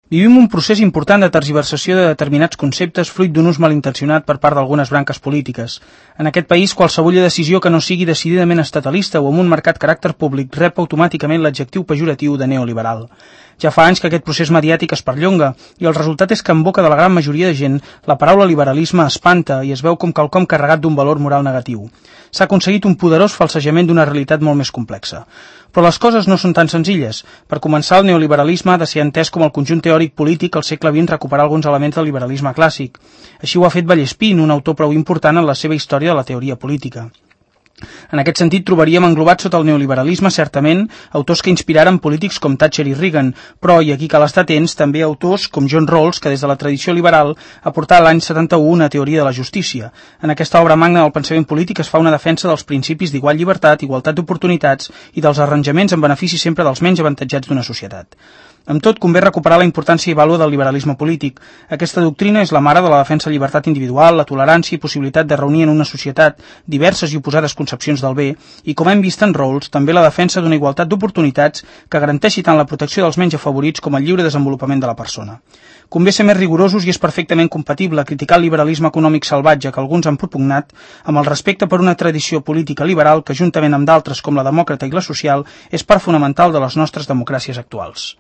Vivim un procés important de tergiversació de determinats conceptes fruit d'un ús malintencionat per part d'algunes branques polítiques. En aquest país, qualsevulla decisió que no sigui decididament estatalista o amb un marcat caràcter públic rep automàticament l'adjectiu pejoratiu de neoliberal. Ja fa anys que aquest procés mediàtic es perllonga i el resultat és que en boca de la gran majoria de gent la paraula liberalisme espanta i es veu com quelcom carregat d'un valor moral negatiu. S'ha aconseguit un poderós falsejament d'una realitat molt més complexa. Però les coses no són tan senzilles. Per començar, el neoliberalisme ha de ser entès com el conjunt teòric polític al segle XX recuperar alguns elements del liberalisme clàssic. Així ho ha fet Vallespín, un autor prou important en la seva història de la teoria política. En aquest sentit, trobaríem englobat sota el neoliberalisme, certament, autors que inspiraren polítics com Thatcher i Reagan, però, i aquí cal estar atents, també autors com John Rawls, que des de la tradició liberal aportà l'any 71 una teoria de la justícia. En aquesta obra magna del pensament polític es fa una defensa dels principis d'igual llibertat, igualtat d'oportunitats i dels arranjaments en benefici sempre dels menys avantatjats d'una societat. Amb tot, convé recuperar la importància i vàlua del liberalisme polític. Aquesta doctrina és la mare de la defensa de llibertat individual, la tolerància i possibilitat de reunir en una societat diverses i oposades concepcions del bé i, com hem vist en Rawls, també la defensa d'una igualtat d'oportunitats que garanteixi tant la protecció dels menys afavorits com el lliure desenvolupament de la persona. Convé ser més rigorosos i és perfectament compatible criticar el liberalisme econòmic salvatge que alguns han propugnat amb el respecte per una tradició política liberal que, juntament amb d'altres com la demòcrata i la social, és part fonamental de les nostres democràcies actuals.